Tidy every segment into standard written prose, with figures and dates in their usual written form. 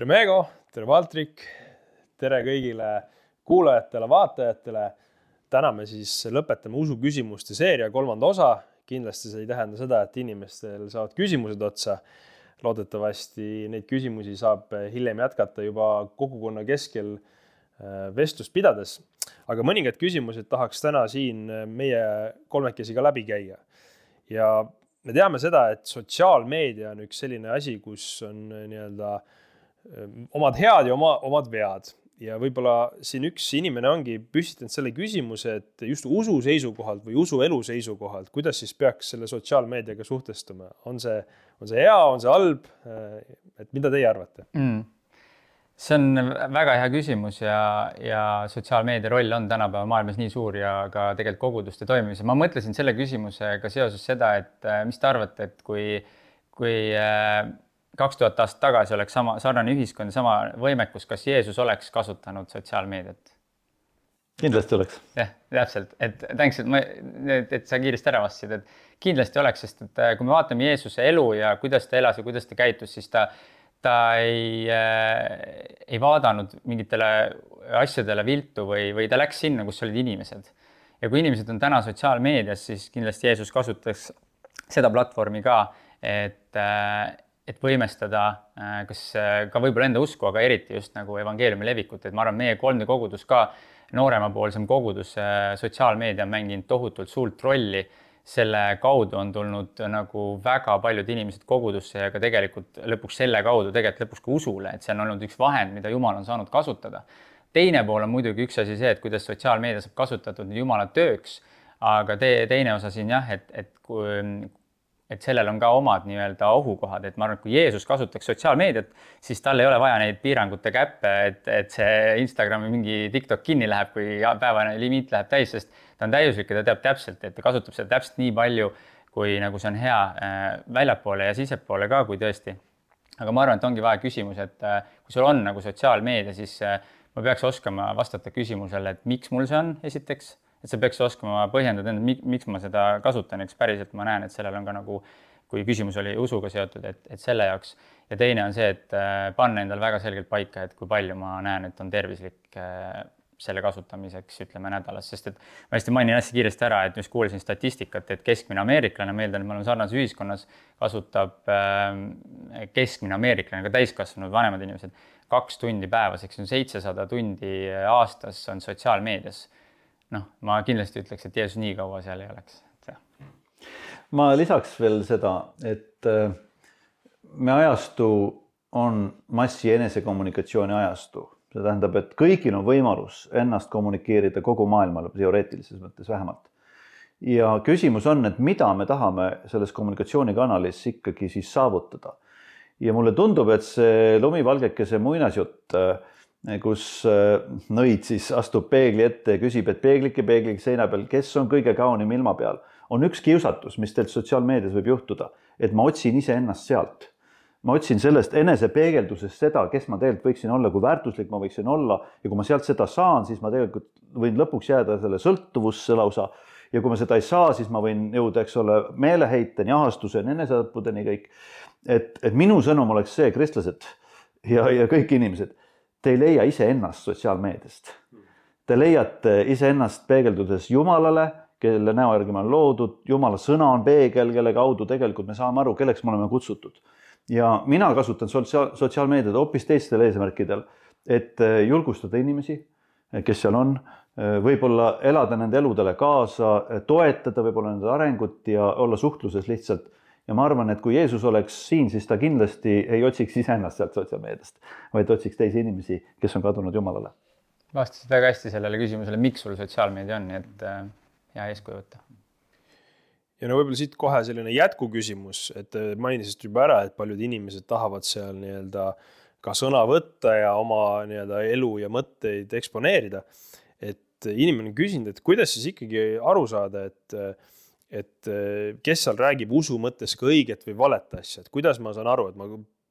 Tere Meego, tere Valtrik, tere kõigile kuulajatele, vaatajatele. Täna me siis lõpetame usuküsimuste seeria 3. osa. Kindlasti see ei tähenda seda, et inimestel saavad küsimused otsa. Loodetavasti neid küsimusi saab hiljem jätkata juba kogukonna keskel vestlust pidades. Aga mõningad küsimused tahaks täna siin meie kolmekesi ka läbi käia. Ja me teame seda, et sotsiaalmeedia on üks selline asi, kus on omad head ja omad vead. Ja võib-olla siin üks inimene ongi püstitanud selle küsimuse, et just usu seisukohalt või usuelu seisukohalt, kuidas siis peaks selle sotsiaalmeediaga suhtestuma? On see hea, on see halb? Et mida teie arvate? See on väga hea küsimus ja sotsiaalmeedia roll on tänapäeva maailmas nii suur ja ka tegelikult koguduste toimimise. Ma mõtlesin selle küsimusega seoses seda, et mis te arvate, et kui 2000 aastat tagasi oleks sarnane ühiskond ja sama võimekus, kas Jeesus oleks kasutanud sotsiaalmeediat? Kindlasti oleks. Jah, täpselt. Tänks, et sa kiiresti ära vastasid, et kindlasti oleks, sest et kui me vaatame Jeesuse elu ja kuidas ta elas ja kuidas ta käitus, siis ta ei vaadanud mingitele asjadele viltu või ta läks sinna, kus olid inimesed. Ja kui inimesed on täna sotsiaalmeedias, siis kindlasti Jeesus kasutaks seda platvormi ka, et võimestada kas ka võib-olla enda usku, aga eriti just nagu evangeeliumi levikut. Et ma arvan, meie 3D kogudus ka nooremapoolsem kogudus sotsiaalmeedia on mänginud tohutult suurt rolli. Selle kaudu on tulnud nagu väga paljud inimesed kogudusse ja ka tegelikult lõpuks selle kaudu lõpuks ka usule, et see on olnud üks vahend, mida Jumal on saanud kasutada. Teine pool on muidugi üks asi see, et kuidas sotsiaalmeedia saab kasutatud Jumala tööks, aga teine osa siin jah, et sellel on ka omad nii-öelda ohukohad, et ma arvan, et kui Jeesus kasutaks sotsiaalmeediat, siis tal ei ole vaja neid piirangute käppe, et see Instagrami mingi TikTok kinni läheb, kui päevane limiit läheb täis, sest ta on täiuslik ja ta teab täpselt, et ta kasutab seda täpselt nii palju, kui nagu see on hea väljapoole ja sisepoole ka, kui tõesti. Aga ma arvan, et ongi vaja küsimus, et kui sul on nagu sotsiaalmeedia, siis ma peaks oskama vastata küsimusele, et miks mul see on esiteks, et sa peaks oskama põhjendada, miks ma seda kasutan, eks päriselt ma näen, et sellel on ka nagu, kui küsimus oli usuga seotud, et selle jaoks. Ja teine on see, et panna endal väga selgelt paika, et kui palju ma näen, et on tervislik selle kasutamiseks, ütleme nädalas, sest et ma hästi mainin hästi kiiresti ära, et just kuulisin statistikat, et keskmine ameeriklane, meeldan, et me oleme sarnases ühiskonnas, kasutab keskmine ameeriklane, ka täiskasvanud vanemad inimesed 2 tundi päevas, eks on 700 tundi aastas on sotsiaalmeedias. Ma kindlasti ütleks, et Jeesus nii kaua seal ei oleks. Ma lisaks veel seda, et me ajastu on massi enesekommunikatsiooni ajastu. See tähendab, et kõigil on võimalus ennast kommunikeerida kogu maailmale, teoreetilises mõttes vähemalt. Ja küsimus on, et mida me tahame selles kommunikatsioonikanalis ikkagi siis saavutada. Ja mulle tundub, et see lumivalgekese muinasjutt, kus nõid siis astub peegli ette ja küsib, et peeglike seina peal, kes on kõige kaunim ilma peal, on üks kiusatus, mis teilt sotsiaalmeedias võib juhtuda, et ma otsin ise ennast sealt. Ma otsin sellest enesepeegeldusest seda, kes ma tegelikult võiksin olla, kui väärtuslik ma võiksin olla ja kui ma sealt seda saan, siis ma tegelikult võin lõpuks jääda selle sõltuvusse lausa ja kui ma seda ei saa, siis ma võin jõuda, eks ole, meeleheiteni, ahastuseni, eneseõppudeni kõik. Et minu sõnum oleks see, kristlased ja kõik inimesed, te ei leia ise ennast sotsiaalmeediast. Te leiate ise ennast peegeldudes Jumalale, kelle näo järgi me on loodud. Jumala sõna on peegel, kelle kaudu tegelikult me saame aru, kelleks me oleme kutsutud. Ja mina kasutan sotsiaalmeediat hoopis teistel eesmärkidel, et julgustada inimesi, kes seal on, võib-olla elada nende eludele kaasa, toetada võib-olla nende arengut ja olla suhtluses lihtsalt. Ja ma arvan, et kui Jeesus oleks siin, siis ta kindlasti ei otsiks iseennast sealt sotsiaalmeediast, vaid otsiks teisi inimesi, kes on kadunud Jumalale. Vastasid väga hästi sellele küsimusele, miks sul sotsiaalmeedia on, nii et hea eeskuju võtta. Ja võib-olla siit kohe selline jätkuküsimus, et mainisid juba ära, et paljud inimesed tahavad seal ka sõna võtta ja oma elu ja mõtteid eksponeerida. Et inimene on küsinud, et kuidas siis ikkagi aru saada, et kes seal räägib usu mõttes ka õiget või valet asja, et kuidas ma saan aru, et ma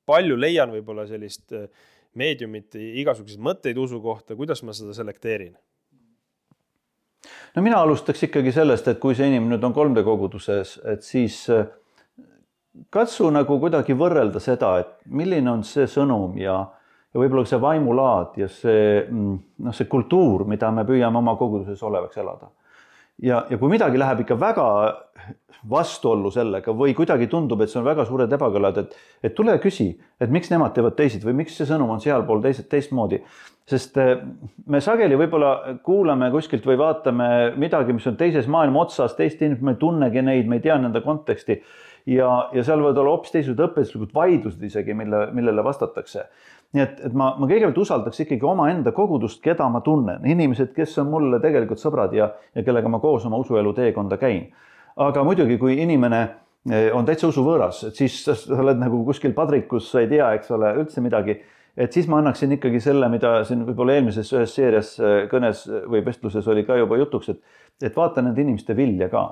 palju leian võib-olla sellist meediumit, igasuguseid mõtteid usu kohta, kuidas ma seda selekteerin? No mina alustaks ikkagi sellest, et kui see inimene nüüd on 3D koguduses, et siis katsu nagu kuidagi võrrelda seda, et milline on see sõnum ja ja võib-olla see vaimulaad ja see kultuur, mida me püüame oma koguduses olevaks elada. Ja kui midagi läheb ikka väga vastuollu sellega või kuidagi tundub, et see on väga suured ebakõlad, et tule küsi, et miks nemad teevad teised või miks see sõnum on sealpool teistmoodi. Sest me sageli võib-olla kuulame kuskilt või vaatame midagi, mis on teises maailma otsas, teist inimesed, me ei tunnegi neid, me ei tea nende konteksti ja seal võivad olla hoopis teised õpetuslikud vaidlused isegi, millele vastatakse. Nii et ma kõigepealt usaldaks ikkagi omaenda kogudust, keda ma tunnen, inimesed, kes on mulle tegelikult sõbrad ja kellega ma koos oma usuelu teekonda käin. Aga muidugi, kui inimene on täitsa usuvõõras, et siis sa oled nagu kuskil padrikus, sa ei tea, eks ole, üldse midagi, et siis ma annaksin ikkagi selle, mida siin võib-olla eelmises ühes seerias kõnes või vestluses oli ka juba jutuks, et vaata nende inimeste vilja ka.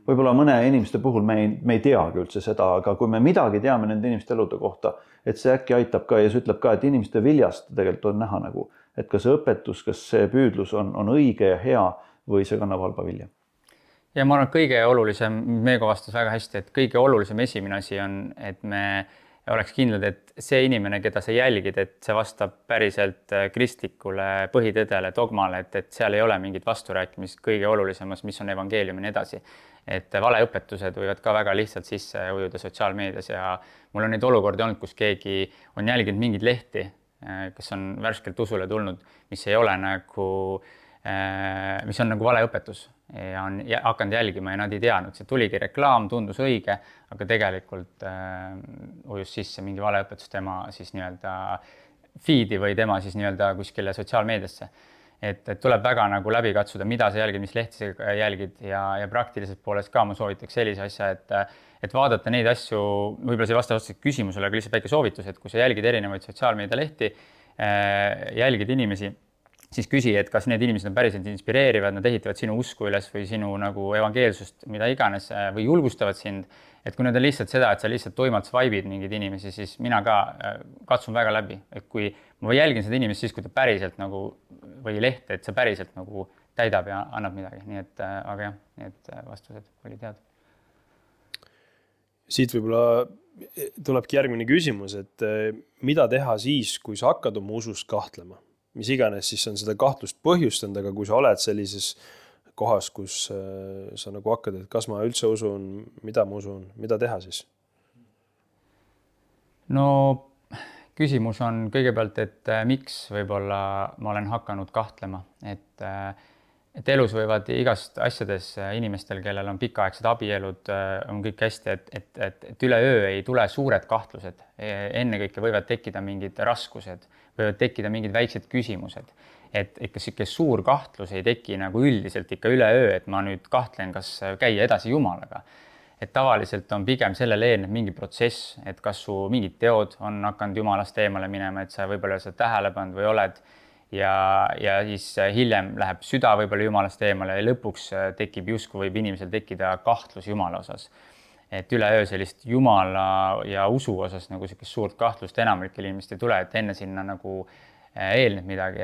Võib-olla mõne inimeste puhul me ei teagi üldse seda, aga kui me midagi teame nende inimeste elude kohta, et see äkki aitab ka ja see ütleb ka, et inimeste viljast tegelikult on näha nagu, et kas see õpetus, kas see püüdlus on õige ja hea või see kannab halba vilja. Ja ma arvan, et kõige olulisem, Meego vastas väga hästi, et kõige olulisem esimene asi on, et me oleks kindlad, et see inimene, keda sa jälgid, et see vastab päriselt kristlikule põhitõdele, dogmale, et seal ei ole mingit vasturääkimist kõige olulisemas, mis on evangeelium ja nii edasi. Et valeõpetused võivad ka väga lihtsalt sisse ujuda sotsiaalmeedias ja mul on neid olukordi olnud, kus keegi on jälginud mingid lehti, kes on värskelt usule tulnud, mis ei ole nagu, mis on nagu valeõpetus ja on hakanud jälgima ja nad ei teadnud, see tuligi reklaam, tundus õige, aga tegelikult ujus sisse mingi valeõpetus tema siis nii-öelda feed'i või tema siis nii-öelda kuskile sotsiaalmeediasse. Et tuleb väga nagu läbi katsuda, mida sa jälgid, mis lehti sa jälgid ja praktiliselt poolest ka ma soovitaks sellise asja, et vaadata neid asju, võib-olla see vasta küsimusele, aga lihtsalt väike soovitus, et kui sa jälgid erinevaid sotsiaalmeedia lehti, jälgid inimesi, siis küsi, et kas need inimesed on päriselt inspireerivad, nad ehitavad sinu usku üles või sinu nagu evangeelsust, mida iganes, või julgustavad sind. Et kui need on lihtsalt seda, et sa lihtsalt toimalt swipe'id mingeid inimesi, siis mina ka katsun väga läbi. Et kui ma jälgin seda inimest siis, kui ta päriselt nagu, või lehte, et see päriselt nagu täidab ja annab midagi. Nii et, aga jah, need vastused olid head. Siit võib-olla tulebki järgmine küsimus, et mida teha siis, kui sa hakkad oma usust kahtlema? Mis iganes siis on seda kahtlust põhjustanud, aga kui sa oled sellises kohas, kus sa nagu hakkad, et kas ma üldse usun, mida ma usun, mida teha siis? No küsimus on kõigepealt, et miks võib-olla ma olen hakanud kahtlema, et elus võivad igast asjades inimestel, kellel on pikaaegsed abielud, on kõik hästi, et üleöö ei tule suured kahtlused. Ennekõike võivad tekkida mingid raskused, võivad tekkida mingid väiksed küsimused. Et ikka siuke suur kahtlus ei teki nagu üldiselt ikka üleöö, et ma nüüd kahtlen, kas käia edasi Jumalaga. Et tavaliselt on pigem sellele eelnev mingi protsess, et kas su mingid teod on hakanud Jumalast eemale minema, et sa võib-olla seda tähele pannud või oled ja siis hiljem läheb süda võib-olla Jumalast eemale ja lõpuks tekib justkui võib inimesel tekkida kahtlus Jumala osas. Et üleöö sellist Jumala ja usu osas nagu sellist suurt kahtlust enamlikel inimestel ei tule, et enne sinna nagu eelneb midagi,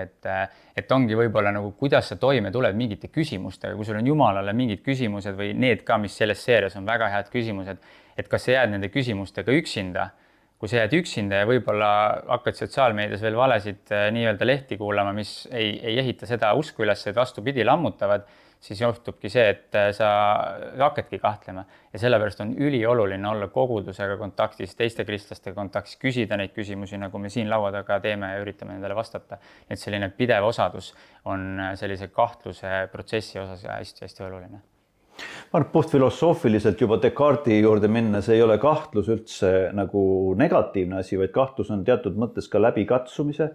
et ongi võib-olla nagu, kuidas sa toime tuled mingite küsimustega, kui sul on Jumalale mingid küsimused või need ka, mis selles seerias on väga head küsimused, et kas sa jääd nende küsimustega üksinda, kui sa jääd üksinda ja võib-olla hakkad sotsiaalmeedias veel valesid nii-öelda lehti kuulama, mis ei ehita seda usku üles, et vastupidi lammutavad, siis juhtubki see, et sa hakkadki kahtlema ja sellepärast on ülioluline olla kogudusega kontaktis, teiste kristlastega kontaktis, küsida neid küsimusi, nagu me siin laua taga teeme ja üritame nendele vastata. Et selline pidev osadus on sellise kahtluse protsessi osas hästi-hästi oluline. Ma arvan, puhtfilosoofiliselt juba Descartesi juurde minna, see ei ole kahtlus üldse nagu negatiivne asi, vaid kahtlus on teatud mõttes ka läbikatsumise,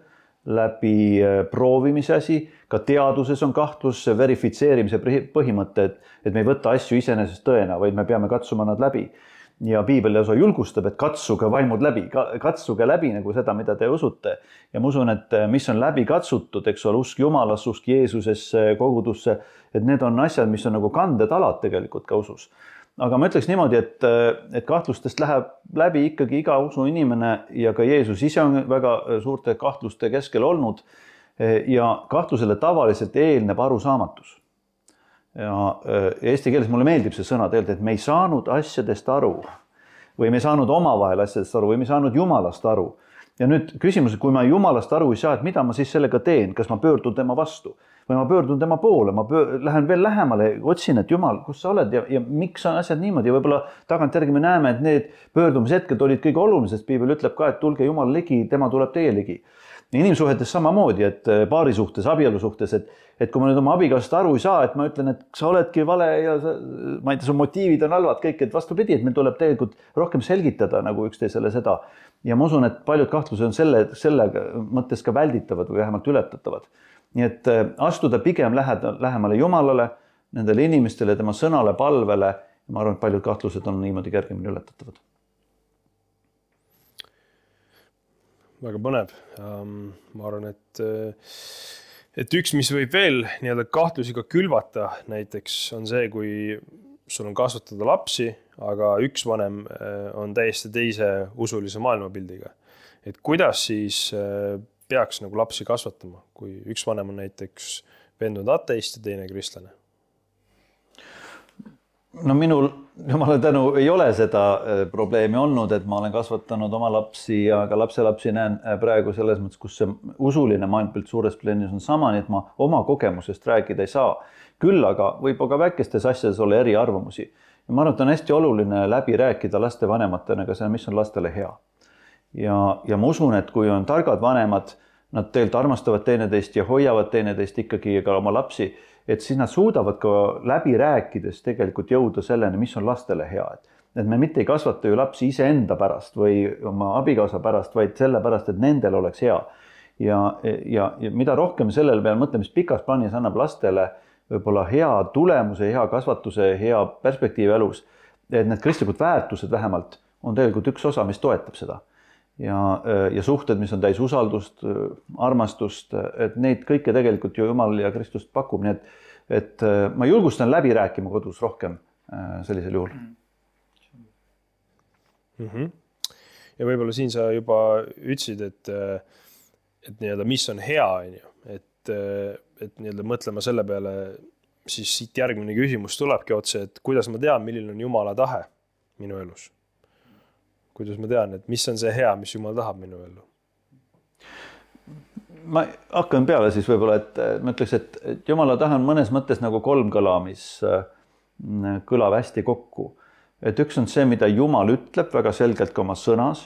läbi proovimise asi, ka teaduses on kahtlus, verifitseerimise põhimõte, et me ei võta asju iseenesest tõena, vaid me peame katsuma nad läbi. Ja piibel osa julgustab, et katsuge vaimud läbi, katsuge läbi nagu seda, mida te usute. Ja ma usun, et mis on läbi katsutud, eks ole, usk Jumalasse, usk Jeesusesse, kogudusse, et need on asjad, mis on nagu kandetalad tegelikult ka usus. Aga ma ütleks niimoodi, et kahtlustest läheb läbi ikkagi iga usu inimene ja ka Jeesus ise on väga suurte kahtluste keskel olnud ja kahtlusele tavaliselt eelneb arusaamatus. Ja eesti keeles mulle meeldib see sõna tegelikult, et me ei saanud asjadest aru või me ei saanud omavahel asjadest aru või me ei saanud Jumalast aru. ja nüüd küsimus, kui ma jumalast aru ei saa, et mida ma siis sellega teen, kas ma pöördun tema vastu või ma pöördun tema poole, lähen veel lähemale, otsin, et Jumal, kus sa oled ja miks on asjad niimoodi ja võib-olla tagantjärgi me näeme, et need pöördumishetked olid kõige olulised, piibel ütleb ka, et tulge Jumal ligi, tema tuleb teie ligi. Inimsuhetes samamoodi, et paari suhtes, abielu suhtes, et kui ma nüüd oma abikaasast aru ei saa, et ma ütlen, et sa oledki vale ja ma ei tea, su motiivid on halvad kõik, et vastupidi, et meil tuleb tegelikult rohkem selgitada nagu üksteisele seda. Ja ma usun, et paljud kahtlused on selle mõttes ka välditavad või vähemalt ületatavad. Nii et astuda pigem lähemale Jumalale, nendele inimestele, tema sõnale, palvele. Ma arvan, et paljud kahtlused on niimoodi kergemini ületatavad. Väga põnev. Ma arvan, et üks, mis võib veel nii-öelda kahtlusi ka külvata näiteks on see, kui sul on kasvatada lapsi, aga üks vanem on täiesti teise usulise maailmapildiga. Et kuidas siis peaks nagu lapsi kasvatama, kui üks vanem on näiteks veendunud ateist ja teine kristlane? No minul, jumala tänu, ei ole seda probleemi olnud, et ma olen kasvatanud oma lapsi ja ka lapselapsi näen praegu selles mõttes, kus see usuline maailmapilt suures plaanis on sama, nii et ma oma kogemusest rääkida ei saa. Küll aga võib ka väikestes asjades olla eriarvamusi. Ja ma arvan, et on hästi oluline läbi rääkida laste vanematena ka see, mis on lastele hea. Ja ma usun, et kui on targad vanemad, nad tegelikult armastavad teineteist ja hoiavad teineteist ikkagi ka oma lapsi, et siis nad suudavad ka läbi rääkides tegelikult jõuda selleni, mis on lastele hea. Et me mitte ei kasvata ju lapsi iseenda pärast või oma abikaasa pärast, vaid selle pärast, et nendel oleks hea. Ja mida rohkem sellele peale mõtleme, mis pikas plaanis annab lastele võib-olla hea tulemuse, hea kasvatuse, hea perspektiivi elus, et need kristlikud väärtused vähemalt on tegelikult üks osa, mis toetab seda. Ja suhted, mis on täis usaldust, armastust, et neid kõike tegelikult ju Jumal ja Kristus pakub, nii et ma julgustan läbi rääkima kodus rohkem sellisel juhul. Ja võib-olla siin sa juba ütlesid, et nii-öelda, mis on hea, et nii-öelda mõtlema selle peale, siis siit järgmine küsimus tulebki otse, et kuidas ma tean, milline on Jumala tahe minu elus? Kuidas ma tean, et mis on see hea, mis Jumal tahab minu ellu? Ma hakkan peale siis võib-olla, et ma ütleks, et Jumala tahe on mõnes mõttes nagu kolmkõla, mis kõlab hästi kokku. Et üks on see, mida Jumal ütleb väga selgelt ka oma sõnas.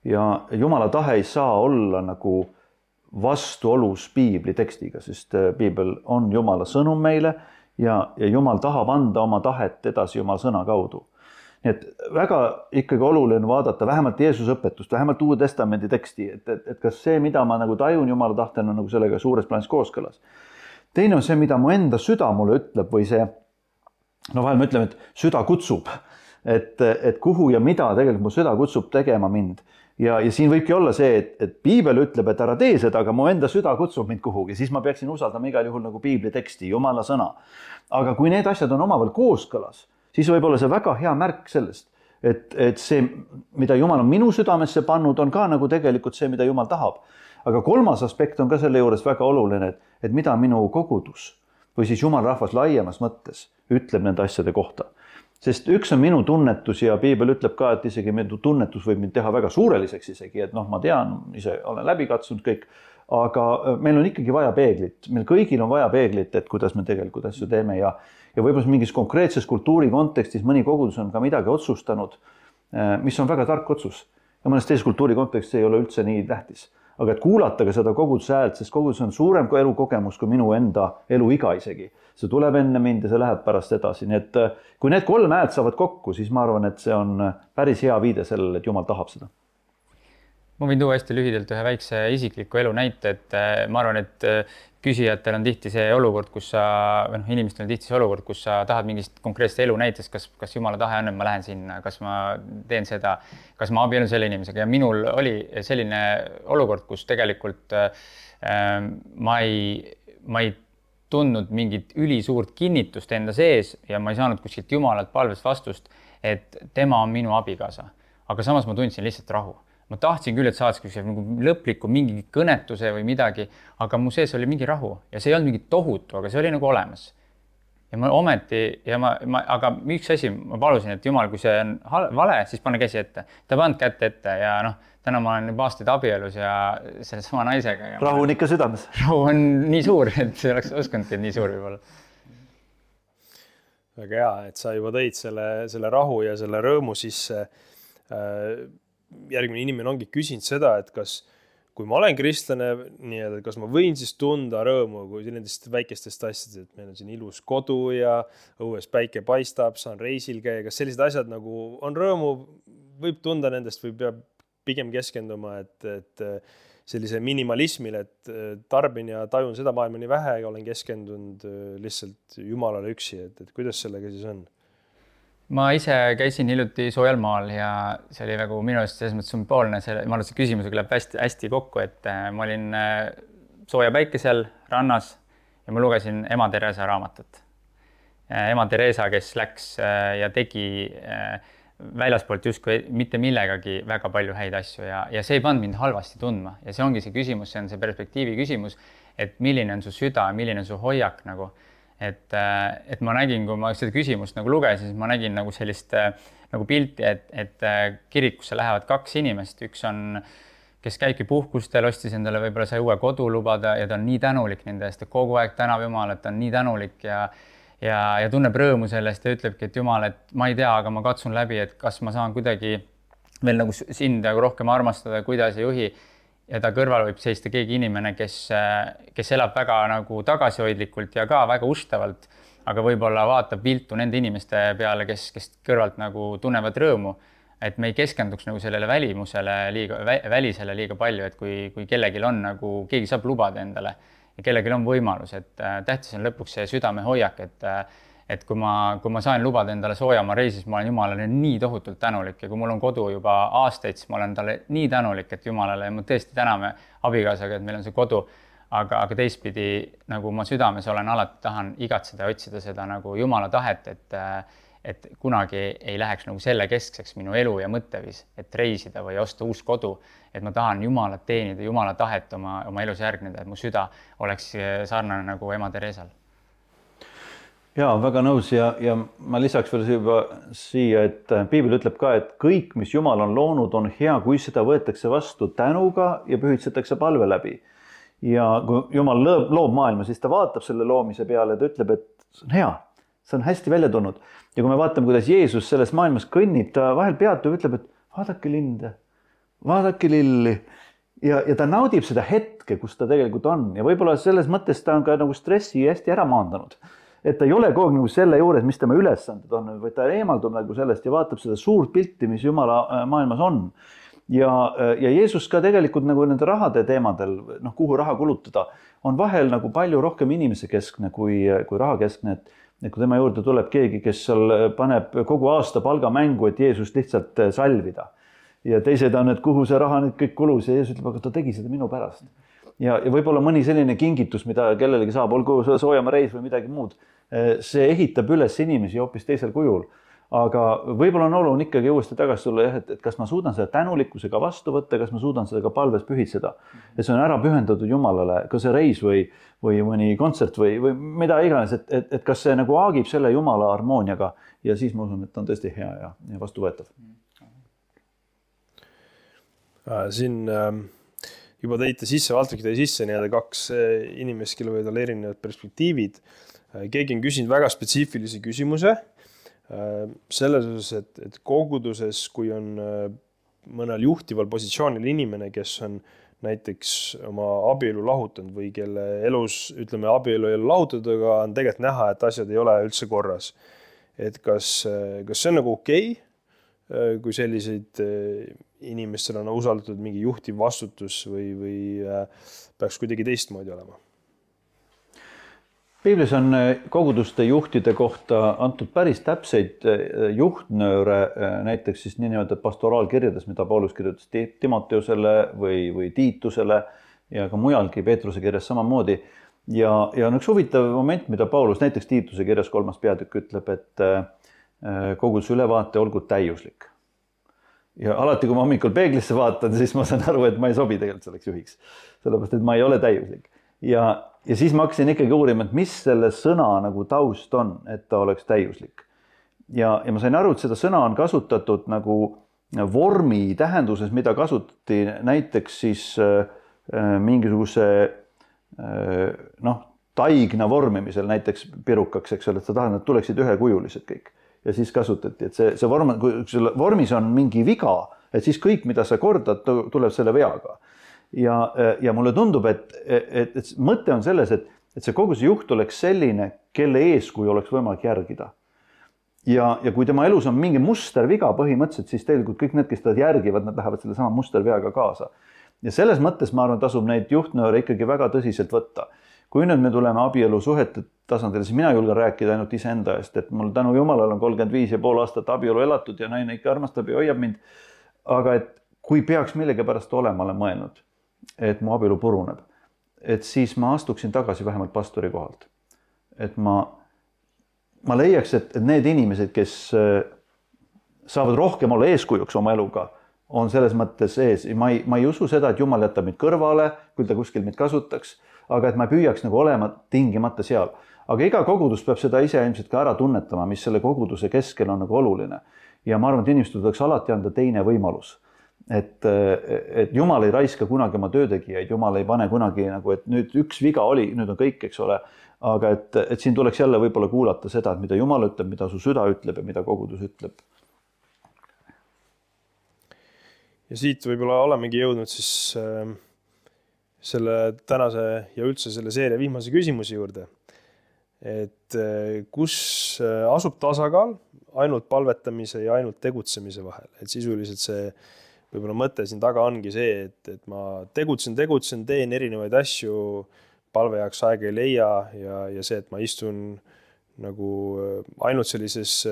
Ja Jumala tahe ei saa olla nagu vastuolus piibli tekstiga, sest piibel on Jumala sõnum meile ja Jumal tahab anda oma tahet edasi Jumala sõna kaudu. Nii et väga ikkagi oluline vaadata vähemalt Jeesuse õpetust, vähemalt Uue Testamendi teksti, et kas see, mida ma nagu tajun Jumala tahtel, on nagu sellega suures plaanis kooskõlas. Teine on see, mida mu enda süda mulle ütleb või see, vahel me ütleme, et süda kutsub, et kuhu ja mida tegelikult mu süda kutsub tegema mind. Ja siin võibki olla see, et piibel ütleb, et ära tee seda, aga mu enda süda kutsub mind kuhugi, siis ma peaksin usaldama igal juhul nagu piibli teksti, Jumala sõna. Aga kui need asjad on omavahel kooskõlas, siis võib olla see väga hea märk sellest, et see, mida Jumal on minu südamesse pannud, on ka nagu tegelikult see, mida Jumal tahab. Aga kolmas aspekt on ka selle juures väga oluline, et mida minu kogudus või siis Jumal rahvas laiemas mõttes ütleb nende asjade kohta. Sest üks on minu tunnetus ja piibel ütleb ka, et isegi minu tunnetus võib mind teha väga suureliseks isegi, et ma tean, ise olen läbi katsunud kõik, aga meil on ikkagi vaja peeglit. Meil kõigil on vaja peeglit, et kuidas me tegelikult asju teeme ja võib-olla mingis konkreetses kultuuri kontekstis mõni kogudus on ka midagi otsustanud, mis on väga tark otsus. Ja mõnes teises kultuuri kontekstis ei ole üldse nii tähtis. Aga et kuulata ka seda koguduse häält, sest kogudus on suurem kui elukogemus kui minu enda eluiga isegi. See tuleb enne mind ja see läheb pärast edasi. Nii et kui need kolm häält saavad kokku, siis ma arvan, et see on päris hea viide sellele, et Jumal tahab seda. Ma võin tuua hästi lühidalt ühe väikse isikliku elu näite, et ma arvan, et küsijatel on tihti see olukord, kus inimestel on tihti see olukord, kus sa tahad mingist konkreetset elu näitest, kas Jumala tahe on, et ma lähen sinna, kas ma teen seda, kas ma abiellun selle inimesega ja minul oli selline olukord, kus tegelikult ma ei tundnud mingit ülisuurt kinnitust enda sees ja ma ei saanud kuskilt Jumalalt palvest vastust, et tema on minu abikaasa, aga samas ma tundsin lihtsalt rahu. Ma tahtsin küll, et saadski lõpliku mingi kõnetuse või midagi, aga mu sees oli mingi rahu ja see ei olnud mingi tohutu, aga see oli nagu olemas. ja ma ometi aga üks asi, ma palusin, et Jumal, kui see on vale, siis pane käsi ette. Ta pannud kätte ette ja täna ma olen juba aastaid abielus ja selle sama naisega. Ja rahu on ikka südames. Rahu on nii suur, et see oleks uskunudki, et nii suur võib olla. Väga hea, et sa juba tõid selle rahu ja selle rõõmu sisse. Järgmine inimene ongi küsinud seda, et kui ma olen kristlane, kas ma võin siis tunda rõõmu, kui nendest väikestest asjadest, et meil on siin ilus kodu ja õues päike paistab, saan reisil käia, kas sellised asjad nagu on rõõmu, võib tunda nendest või peab pigem keskenduma, et sellise minimalismile, et tarbin ja tajun seda maailma nii vähe ja olen keskendunud lihtsalt Jumalale üksi, et kuidas sellega siis on? Ma ise käisin hiljuti soojal maal ja see oli nagu minu eest selles mõttes sümboolne. Ma arvan, et see küsimusega läheb hästi kokku, et ma olin sooja päikesel rannas ja ma lugesin Ema Teresa raamatut. Ema Teresa, kes läks ja tegi väljaspoolt justkui mitte millegagi väga palju häid asju ja see ei pannud mind halvasti tundma. Ja see ongi see küsimus, see on see perspektiivi küsimus, et milline on su süda, milline on su hoiak nagu. Et ma nägin, kui ma seda küsimust nagu lugesin, siis ma nägin nagu sellist nagu pilti, et kirikusse lähevad 2 inimest. Üks on, kes käibki puhkustel, ostis endale võib-olla sai uue kodu lubada ja ta on nii tänulik nende eest, et kogu aeg tänab Jumal, et ta on nii tänulik ja tunneb rõõmu sellest ja ütlebki, et Jumal, et ma ei tea, aga ma katsun läbi, et kas ma saan kuidagi veel nagu sind rohkem armastada, kuidas ei juhi. Ja ta kõrval võib seista keegi inimene, kes elab väga nagu tagasihoidlikult ja ka väga ustavalt, aga võib-olla vaatab viltu nende inimeste peale, kes kõrvalt nagu tunnevad rõõmu, et me ei keskenduks nagu sellele välisele liiga palju, et kui kellelgi on nagu, keegi saab lubada endale ja kellelgi on võimalus, et tähtis on lõpuks see südame hoiak, et kui ma sain lubada endale soojamaa reisis, ma olen Jumalale nii tohutult tänulik ja kui mul on kodu juba aastaid, siis ma olen talle nii tänulik, et Jumalale ja ma tõesti täname abikaasaga, et meil on see kodu, aga teistpidi nagu ma südames olen alati tahan igatseda ja otsida seda nagu Jumala tahet, et kunagi ei läheks nagu selle keskseks minu elu ja mõttevis, et reisida või osta uus kodu, et ma tahan Jumalat teenida, Jumala tahet oma elus järgneda, et mu süda oleks sarnane nagu Ema Teresal. Jaa, väga nõus ja ma lisaks veel juba siia, et Piibel ütleb ka, et kõik, mis Jumal on loonud, on hea, kui seda võetakse vastu tänuga ja pühitsetakse palve läbi. Ja kui Jumal loob maailma, siis ta vaatab selle loomise peale ja ta ütleb, et see on hea, see on hästi välja tulnud. Ja kui me vaatame, kuidas Jeesus selles maailmas kõnnib, ta vahel peatub ja ütleb, et vaadake linde, vaadake lilli. Ja ta naudib seda hetke, kus ta tegelikult on. Ja võib-olla selles mõttes ta on ka nagu stressi hästi ära maandanud. Et ta ei ole kogu nagu selle juures, mis tema ülesanded on, vaid ta eemaldub nagu sellest ja vaatab seda suurt pilti, mis Jumala maailmas on. Ja Jeesus ka tegelikult nagu nende rahade teemadel, kuhu raha kulutada, on vahel nagu palju rohkem inimese keskne kui raha keskne. Et kui tema juurde tuleb keegi, kes seal paneb kogu aasta palga mängu, et Jeesus lihtsalt salvida. Ja teised on, et kuhu see raha nüüd kõik kulus ja Jeesus ütleb, aga ta tegi seda minu pärast. Ja võib-olla mõni selline kingitus, mida kellelegi saab, olgu soojamaa reis või midagi muud, see ehitab üles inimesi hoopis teisel kujul. Aga võib-olla on oluline ikkagi uuesti tagasi tulla, et kas ma suudan seda tänulikkusega vastu võtta, kas ma suudan seda ka palves pühitseda. Et see on ära pühendatud Jumalale, ka see reis või mõni kontsert või mida iganes, et kas see nagu aagib selle Jumala harmooniaga ja siis ma usun, et on tõesti hea ja vastuvõetav. Siin juba tõite sisse, Valtrik tõi sisse 2 inimest, kellel võivad olla erinevad perspektiivid. Keegi on küsinud väga spetsiifilisi küsimuse selles osas, et koguduses, kui on mõnel juhtival positsioonil inimene, kes on näiteks oma abielu lahutanud või kelle elus, ütleme, abielu ei ole lahutatud, aga on tegelikult näha, et asjad ei ole üldse korras. Et kas see on nagu okei, kui selliseid inimestel on usaldatud mingi juhtiv vastutus või peaks kuidagi teistmoodi olema? Piiblis on koguduste juhtide kohta antud päris täpseid juhtnööre, näiteks siis niinimetatud pastoraalkirjades, mida Paulus kirjutas Timoteusele või Tiitusele ja ka mujalgi Peetruse kirjas samamoodi. Ja on üks huvitav moment, mida Paulus näiteks Tiituse kirjas 3. peatükk ütleb, et koguduse ülevaate olgu täiuslik. Ja alati, kui ma hommikul peeglisse vaatan, siis ma saan aru, et ma ei sobi tegelikult selleks juhiks, sellepärast, et ma ei ole täiuslik. ja siis ma hakkasin ikkagi uurima, et mis selle sõna nagu taust on, et ta oleks täiuslik. Ja ma sain aru, et seda sõna on kasutatud nagu vormi tähenduses, mida kasutati näiteks siis mingisuguse taigna vormimisel, näiteks pirukaks, eks ole, et sa tahad, et tuleksid ühekujulised kõik. Ja siis kasutati, et see vorm, kui selle vormis on mingi viga, et siis kõik, mida sa kordad, tuleb selle veaga. Ja mulle tundub, et mõte on selles, et see kogu see juht oleks selline, kelle eeskuju oleks võimalik järgida. Ja kui tema elus on mingi musterviga põhimõtteliselt, siis tegelikult kõik need, kes ta järgivad, nad lähevad selle sama musterveaga kaasa. Ja selles mõttes ma arvan, tasub neid juhtnööre ikkagi väga tõsiselt võtta. Kui nüüd me tuleme abielu suhete tasandile, siis mina julgen rääkida ainult iseenda eest, et mul tänu Jumalale on 35,5 aastat abielu elatud ja naine ikka armastab ja hoiab mind. Aga et kui peaks millegi pärast olema, olen mõelnud, et mu abielu puruneb, et siis ma astuksin tagasi vähemalt pastori kohalt. Et ma leiaks, et need inimesed, kes saavad rohkem olla eeskujuks oma eluga, on selles mõttes ees. Ma ei usu seda, et Jumal jätab mind kõrvale, küll ta kuskil mind kasutaks, aga et ma püüaks nagu olema tingimata seal. Aga iga kogudus peab seda ise ilmselt ka ära tunnetama, mis selle koguduse keskel on nagu oluline. Ja ma arvan, et inimestel tuleks alati anda teine võimalus. Et Jumal ei raiska kunagi oma töötegijaid, Jumal ei pane kunagi nagu, et nüüd üks viga oli, nüüd on kõik, eks ole. Aga et siin tuleks jälle võib-olla kuulata seda, et mida Jumal ütleb, mida su süda ütleb ja mida kogudus ütleb. Ja siit võib-olla olemegi jõudnud siis selle tänase ja üldse selle seeria viimase küsimuse juurde. Et kus asub tasakaal ainult palvetamise ja ainult tegutsemise vahel? Et sisuliselt see võib-olla mõte siin taga ongi see, et ma tegutsen, teen erinevaid asju, palve jaoks aega ei leia ja see, et ma istun nagu ainult sellises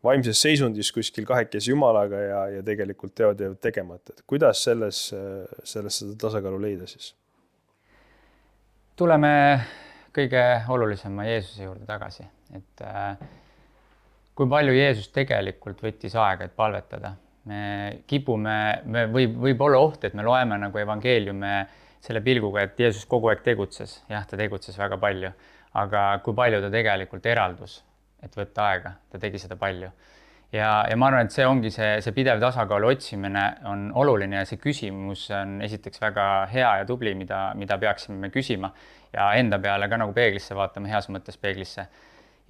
vaimses seisundis kuskil kahekesi Jumalaga ja tegelikult teod jäävad tegemata. Et kuidas selles seda tasakaalu leida siis? Tuleme kõige olulisema Jeesuse juurde tagasi. Et kui palju Jeesus tegelikult võttis aega, et palvetada. Me kipume, võib olla oht, et me loeme nagu evangeeliume selle pilguga, et Jeesus kogu aeg tegutses. Jah, ta tegutses väga palju. Aga kui palju ta tegelikult eraldus, et võtta aega, ta tegi seda palju. Ja ma arvan, et see ongi see pidev tasakaalu otsimine on oluline ja see küsimus on esiteks väga hea ja tubli, mida peaksime me küsima ja enda peale ka nagu peeglisse vaatama, heas mõttes peeglisse.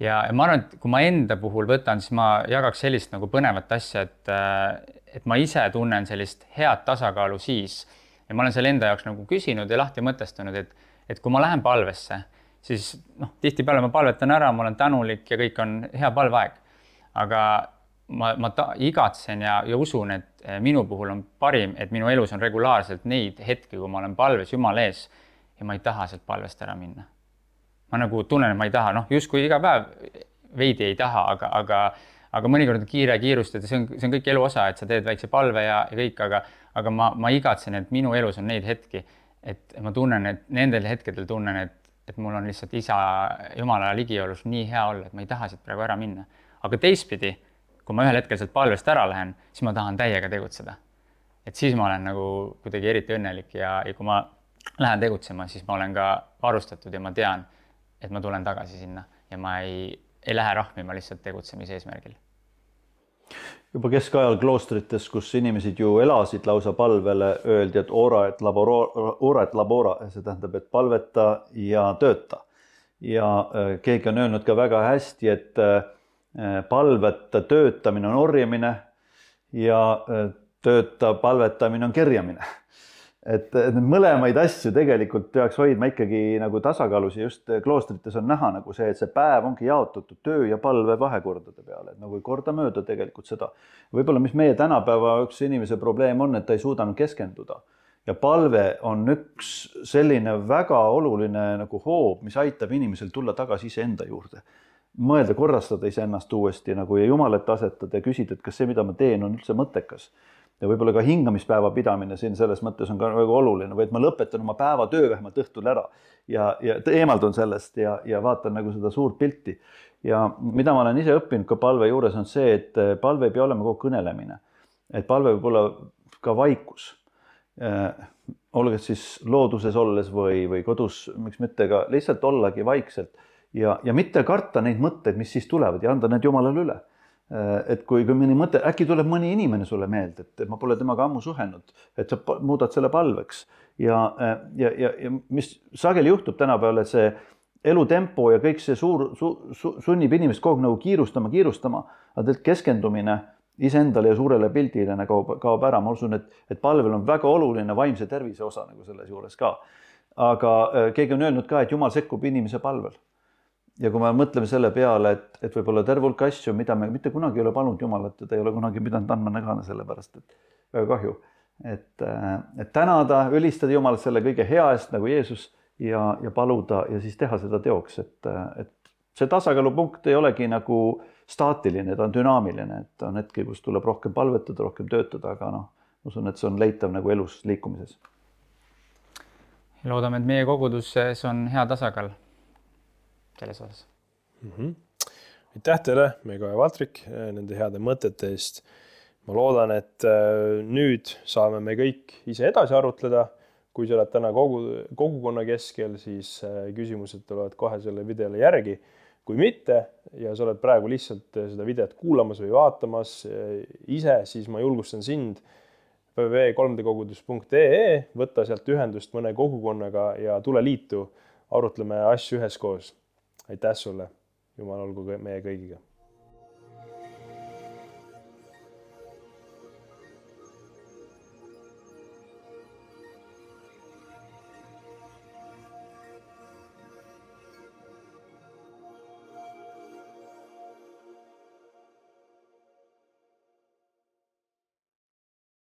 Ja ma arvan, et kui ma enda puhul võtan, siis ma jagaks sellist nagu põnevat asja, et ma ise tunnen sellist head tasakaalu siis ja ma olen selle enda jaoks nagu küsinud ja lahti mõtestanud, et kui ma lähen palvesse, siis tihtipeale ma palvetan ära, ma olen tänulik ja kõik on hea palveaeg. Aga ma igatsen ja usun, et minu puhul on parim, et minu elus on regulaarselt neid hetki, kui ma olen palves Jumala ees ja ma ei taha sealt palvest ära minna. Ma nagu tunnen, et ma ei taha, justkui iga päev veidi ei taha, aga mõnikord on kiirust, et see on kõik elu osa, et sa teed väikse palve ja kõik, aga ma igatsen, et minu elus on neid hetki, et ma tunnen, et nendel hetkedel tunnen, et mul on lihtsalt isa Jumala ligiolus nii hea olla, et ma ei taha siit praegu ära minna. Aga teistpidi, kui ma ühel hetkel sealt palvest ära lähen, siis ma tahan täiega tegutseda. Et siis ma olen nagu kuidagi eriti õnnelik ja kui ma lähen tegutsema, siis ma olen ka varustatud ja ma tean, et ma tulen tagasi sinna ja ma ei lähe rahmima lihtsalt tegutsemise eesmärgil. Juba keskajal kloostrites, kus inimesed ju elasid lausa palvele, öeldi, et ora et labora, see tähendab, et palveta ja tööta. Ja keegi on öelnud ka väga hästi, et palveta töötamine on orjamine ja tööta palvetamine on kerjamine. Et mõlemaid asju tegelikult peaks hoidma ikkagi nagu tasakaalus ja just kloostrites on näha nagu see, et see päev ongi jaotatud töö ja palve vahekordade peale, et nagu ei korda mööda tegelikult seda. Võib-olla mis meie tänapäeva üks inimese probleem on, et ta ei suudanud keskenduda ja palve on üks selline väga oluline nagu hoob, mis aitab inimesel tulla tagasi iseenda juurde. Mõelda, korrastada iseennast uuesti nagu ja Jumalat asetada ja küsida, et kas see, mida ma teen, on üldse mõttekas. Ja võib-olla ka hingamispäeva pidamine siin selles mõttes on ka väga oluline, või et ma lõpetan oma päeva töö vähemalt õhtul ära ja eemaldun sellest ja vaatan nagu seda suurt pilti. Ja mida ma olen ise õppinud ka palve juures on see, et palve ei pea olema kogu kõnelemine. Et palve võib olla ka vaikus. olge siis looduses olles või kodus, miks mitte ka lihtsalt ollagi vaikselt ja mitte karta neid mõtteid, mis siis tulevad ja anda need Jumalale üle. Et kui mõni mõte, äkki tuleb mõni inimene sulle meelde, et ma pole temaga ammu suhelnud, et sa muudad selle palveks ja mis sageli juhtub tänapäeval, et see elutempo ja kõik see sunnib inimest kogu aeg nagu kiirustama, aga keskendumine iseendale ja suurele pildile kaob ära. Ma usun, et palvel on väga oluline vaimse tervise osa nagu selles juures ka. Aga keegi on öelnud ka, et Jumal sekkub inimese palvel. Ja kui me mõtleme selle peale, et võib-olla terve hulk asju, mida me mitte kunagi ei ole palunud Jumalat ja ta ei ole kunagi pidanud andma nägana sellepärast, et väga kahju. Et tänada, ülistada Jumalat selle kõige hea eest nagu Jeesus ja paluda ja siis teha seda teoks, et see tasakaalupunkt ei olegi nagu staatiline, ta on dünaamiline, et on hetki, kus tuleb rohkem palvetada, rohkem töötada, aga usun, et see on leitav nagu elus liikumises. Loodame, et meie koguduses on hea tasakaal selles osas. Aitäh teile, Meigo ja Valtrik, nende heade mõtete eest. Ma loodan, et nüüd saame me kõik ise edasi arutleda. Kui sa oled täna kogukonna keskel, siis küsimused tulevad kohe selle videole järgi. Kui mitte ja sa oled praegu lihtsalt seda videot kuulamas või vaatamas ise, siis ma julgustan sind www.3dkogudus.ee, võtta sealt ühendust mõne kogukonnaga ja tule liitu, arutleme asju üheskoos. Aitäh sulle, Jumal olgu meie kõigiga.